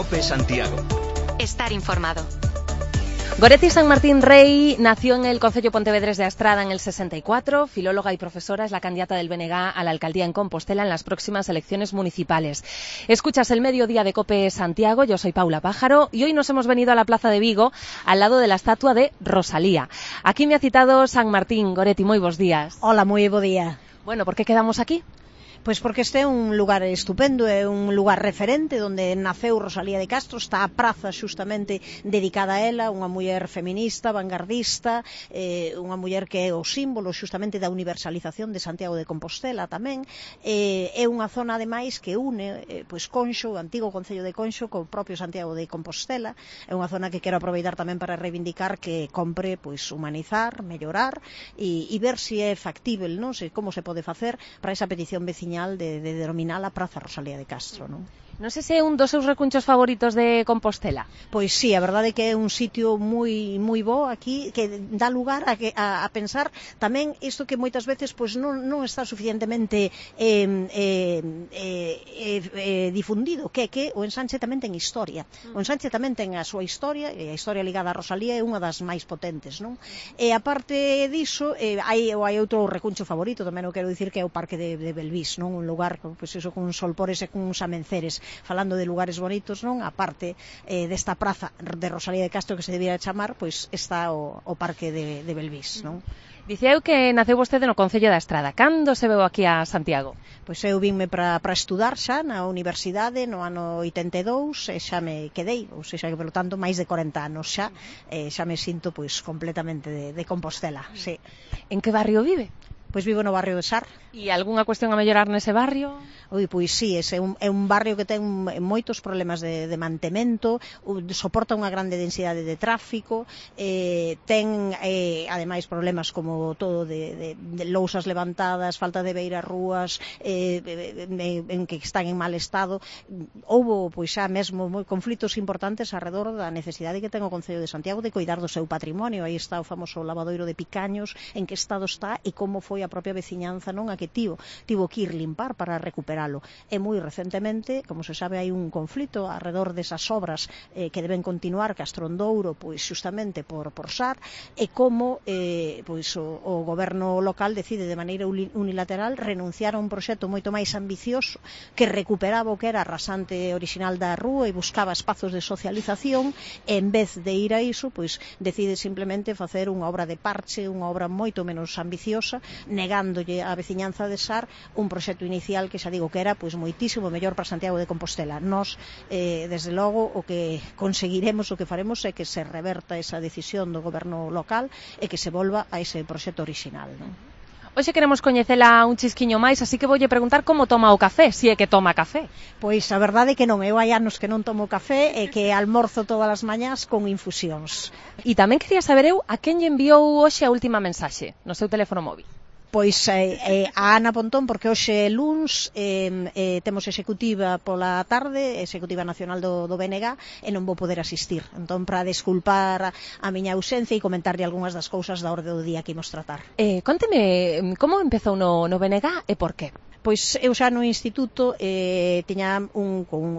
COPE Santiago. Estar informado. Goretti San Martín Rey nació en el concello pontevedrés de Astrada en el 64, filóloga y profesora, es la candidata del BNG a la alcaldía en Compostela en las próximas elecciones municipales. Escuchas el mediodía de COPE Santiago, yo soy Paula Pájaro y hoy nos hemos venido a la plaza de Vigo al lado de la estatua de Rosalía. Aquí me ha citado San Martín. Goretti, moi bos días. Hola, moi bo día. Bueno, ¿por qué quedamos aquí? Pois porque este é un lugar estupendo, é un lugar referente onde naceu Rosalía de Castro, está a praza xustamente dedicada a ela, unha muller feminista, vanguardista, unha muller que é o símbolo xustamente da universalización de Santiago de Compostela tamén, é unha zona ademais que une pois Conxo, o antigo concello de Conxo, co propio Santiago de Compostela, é unha zona que quero aproveitar tamén para reivindicar que compre pois humanizar, mellorar e ver se é factível, non? Se como se pode facer para esa petición veciña de denominar a Praza Rosalía de Castro, non? Non sei se é un dos seus recunchos favoritos de Compostela. Pois sí, a verdade é que é un sitio moi bo aquí, que dá lugar a pensar tamén isto que moitas veces pois non está suficientemente difundido, que o Ensanche tamén ten historia. O Ensanche tamén ten a súa historia, e a historia ligada a Rosalía é unha das máis potentes, non? E aparte diso, hai outro recuncho favorito, tamén o quero dicir, que é o Parque de Belvís, non? Un lugar, pois iso, con solpores e con uns amenceres. Falando de lugares bonitos, non? A parte desta praza de Rosalía de Castro que se debía chamar, pois está o Parque de Belvís, non? Dicía eu que naceu vostede no concello da Estrada. Cando se veu aquí a Santiago? Pois eu vinme para estudar xa na universidade no ano 82 e xa me quedei, ou seja, que polo tanto máis de 40 anos xa, xa me sinto pois completamente de Compostela, sí. En que barrio vive? Pois vivo no barrio de Sar. E algunha cuestión a mellorar nese barrio? Pois sí, ese é un barrio que ten moitos problemas de mantemento, soporta unha grande densidade de tráfico, ten ademais problemas como todo de lousas levantadas, falta de beiras rúas, en que están en mal estado. Houbo pois xa mesmo conflitos importantes alrededor da necesidade que ten o Concello de Santiago de coidar do seu patrimonio. Aí está o famoso lavadoiro de Picaños, en que estado está e como foi a propia veciñanza, non, a que tivo que ir limpar para recuperalo. E moi recentemente, como se sabe, hai un conflito alrededor desas obras que deben continuar Castrondouro, pois xustamente por Sar, e como pois o goberno local decide de maneira unilateral renunciar a un proxecto moito máis ambicioso que recuperaba o que era a rasante orixinal da rúa e buscaba espazos de socialización, e en vez de ir a iso, pois decide simplemente facer unha obra de parche, unha obra moito menos ambiciosa, negándolle á veciñanza de Sar un proxecto inicial que xa digo que era pois moitísimo mellor para Santiago de Compostela. Nós, desde logo, o que conseguiremos, o que faremos é que se reverta esa decisión do goberno local e que se volva a ese proxecto orixinal, non? Hoxe queremos coñecela un chisquiño máis, así que voulle preguntar como toma o café, se é que toma café. Pois a verdade é que non, eu hai anos que non tomo café e que almorzo todas as mañás con infusións. E tamén quería saber eu a quen lle enviou hoxe a última mensaxe no seu teléfono móvil. Pois a Ana Pontón, porque hoxe é luns, temos executiva pola tarde, executiva nacional do BNG, e non vou poder asistir. Entón, para desculpar a miña ausencia e comentarlle algunhas das cousas da orde do día que imos tratar. Conteme, como empezou no BNG e por qué? Pois eu xa no instituto tiña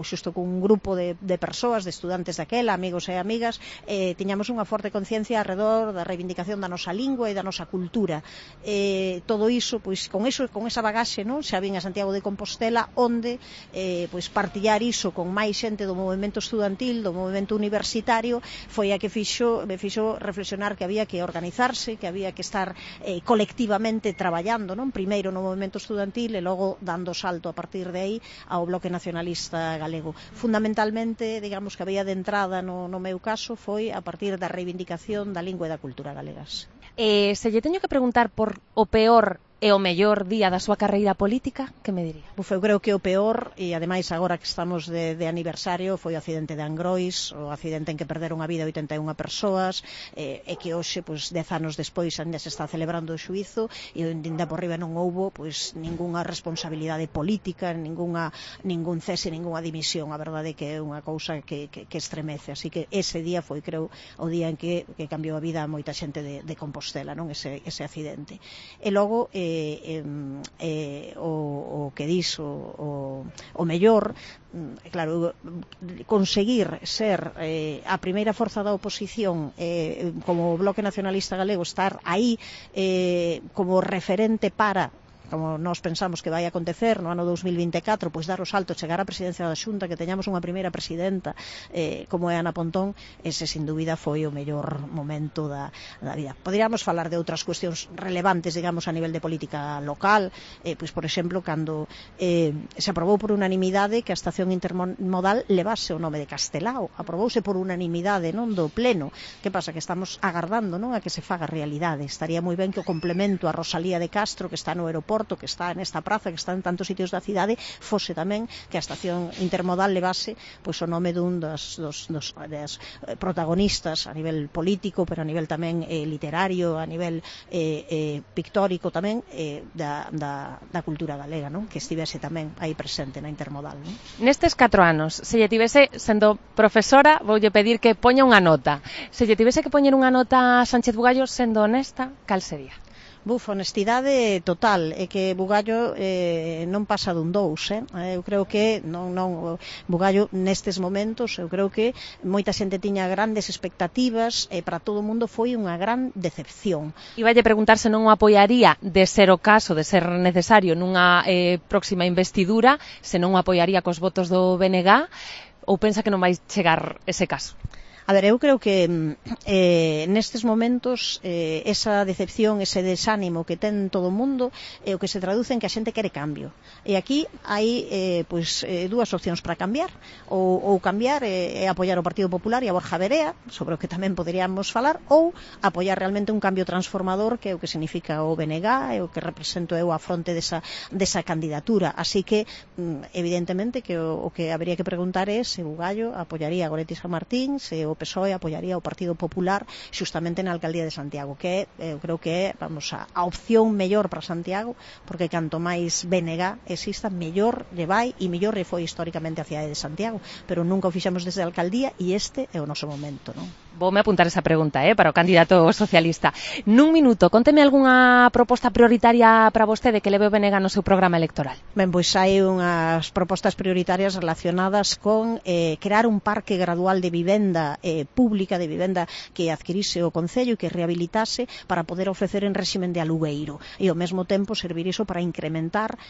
xusto con un grupo de persoas, de estudantes daquela, amigos e amigas, tiñamos unha forte conciencia alrededor da reivindicación da nosa lingua e da nosa cultura. Todo iso, pois con esa bagaxe, non, xa vin a Santiago de Compostela, onde pois partillar iso con máis xente do movemento estudantil, do movemento universitario, foi a que me fixo reflexionar que había que organizarse, que había que estar colectivamente traballando, non, primeiro no movemento estudantil e logo dando salto a partir de aí ao bloque nacionalista galego. Fundamentalmente, digamos que había de entrada no meu caso foi a partir da reivindicación da lingua e da cultura galegas. Se lle teño que preguntar por o peor e o mellor día da súa carreira política, que me diría? Eu creo que o peor, e ademais agora que estamos de aniversario, foi o accidente de Angrois, o accidente en que perderon a vida 81 persoas, e que hoxe, 10 anos despois, ainda se está celebrando o xuízo, e ainda por riba non houbo ningunha responsabilidade política, ningún cese, ningunha dimisión. A verdade é que é unha cousa que estremece, así que ese día foi, creo, o día en que cambiou a vida a moita xente de Compostela, non, ese accidente. E logo o o que dis o mellor, claro, conseguir ser a primeira forza da oposición como o Bloque Nacionalista Galego, estar aí como referente para, como nós pensamos que vai acontecer no ano 2024, pois dar o salto, chegar á presidencia da Xunta, que teñamos unha primeira presidenta como é Ana Pontón, ese sin dúbida foi o mellor momento da vida. Poderíamos falar de outras cuestións relevantes, digamos, a nivel de política local, pois, por exemplo, cando se aprobou por unanimidade que a estación intermodal levase o nome de Castelao, aprobouse por unanimidade, non, do pleno. Que pasa? Que estamos agardando, non, a que se faga realidade. Estaría moi ben que o complemento a Rosalía de Castro, que está no aeroporto, que está nesta praza, que está en tantos sitios da cidade, fose tamén que a estación intermodal levase pois o nome dun das protagonistas a nivel político, pero a nivel tamén literario, a nivel pictórico tamén da cultura galega, non? Que estivese tamén aí presente na intermodal, non? Nestes 4 anos, se lle tivese, sendo profesora, voulle pedir que poña unha nota. Se lle tivese que poñer unha nota a Sánchez Bugallo, sendo honesta, cal sería? Honestidade total, é que Bugallo non pasa dun 2, eu creo que non Bugallo nestes momentos, eu creo que moita xente tiña grandes expectativas e para todo o mundo foi unha gran decepción. Iballe preguntar se non o apoiaría, de ser o caso, de ser necesario nunha próxima investidura, se non o apoiaría cos votos do BNG, ou pensa que non vai chegar ese caso? A ver, eu creo que nestes momentos esa decepción, ese desánimo que ten todo o mundo é o que se traduce en que a xente quere cambio. E aquí hai dúas opcións para cambiar. Ou cambiar e apoiar o Partido Popular e a Borja Verea, sobre o que tamén poderíamos falar, ou apoiar realmente un cambio transformador, que é o que significa o BNG, e o que represento eu a fronte desa candidatura. Así que, evidentemente, que o que habría que preguntar é se Bugallo apoiaría a Goretti San Martín, se o PSOE apoiaría o Partido Popular xustamente na alcaldía de Santiago, que eu creo que é, a opción mellor para Santiago, porque canto máis BNG exista, mellor lle vai e mellor lle foi históricamente a cidade de Santiago, pero nunca o fixemos desde a alcaldía e este é o noso momento, non? Voume apuntar esa pregunta para o candidato socialista. Nun minuto, conteme algunha proposta prioritaria para vostede que leve o BNG no seu programa electoral. Ben, pois hai unhas propostas prioritarias relacionadas con crear un parque gradual de vivenda pública, de vivenda que adquirise o Concello e que rehabilitase para poder ofrecer en réximen de alugueiro e ao mesmo tempo servir iso para incrementar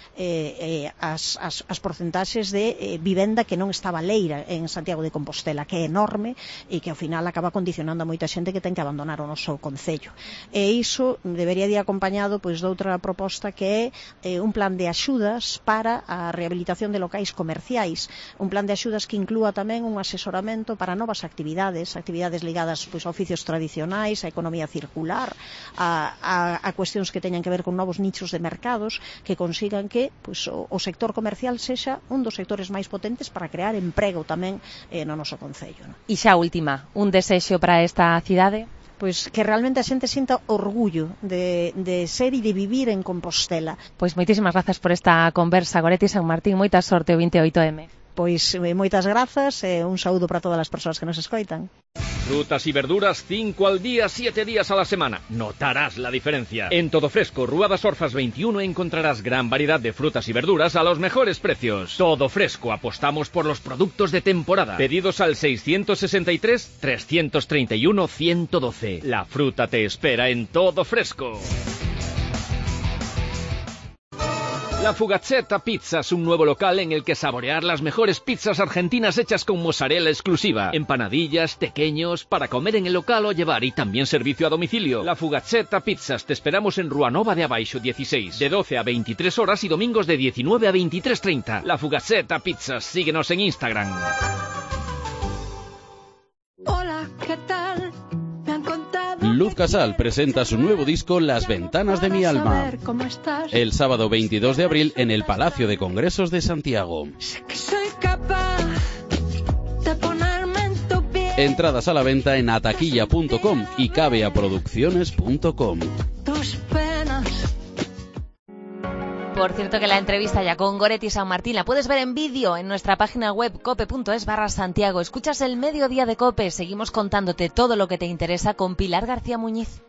as porcentaxes de vivenda que non está baleira en Santiago de Compostela, que é enorme e que ao final acaba condicionando a moita xente que ten que abandonar o noso concello. E iso debería de ir acompañado pois doutra proposta que é un plan de axudas para a rehabilitación de locais comerciais, un plan de axudas que inclúa tamén un asesoramento para novas actividades ligadas pois a oficios tradicionais, a economía circular, a cuestións que teñan que ver con novos nichos de mercados que consigan que pois o sector comercial sexa un dos sectores máis potentes para crear emprego tamén no noso concello, non? E xa última, un desexo para esta cidade? Pois que realmente a xente sinta orgullo de ser e de vivir en Compostela. Pois moitísimas grazas por esta conversa, Goretti San Martín, moita sorte o 28M. Pois moitas grazas e un saúdo para todas as persoas que nos escoitan. Frutas y verduras 5 al día, 7 días a la semana. Notarás la diferencia. En Todo Fresco, Rúa das Orzas 21 encontrarás gran variedad de frutas y verduras a los mejores precios. Todo Fresco, apostamos por los productos de temporada. Pedidos al 663-331-112. La fruta te espera en Todo Fresco. La Fugazzetta Pizzas, un nuevo local en el que saborear las mejores pizzas argentinas hechas con mozzarella exclusiva, empanadillas, tequeños, para comer en el local o llevar, y también servicio a domicilio. La Fugazzetta Pizzas, te esperamos en Rúa Nova de Abaixo 16, de 12 a 23 horas y domingos de 19 a 23:30. La Fugazzetta Pizzas, síguenos en Instagram. Hola, ¿qué tal? Luz Casal presenta su nuevo disco Las Ventanas de mi Alma. El sábado 22 de abril en el Palacio de Congresos de Santiago. Entradas a la venta en ataquilla.com y cabeaproducciones.com. Por cierto que la entrevista ya con Goretti San Martín la puedes ver en vídeo en nuestra página web cope.es/Santiago. Escuchas el Mediodía de Cope, seguimos contándote todo lo que te interesa con Pilar García Muñiz.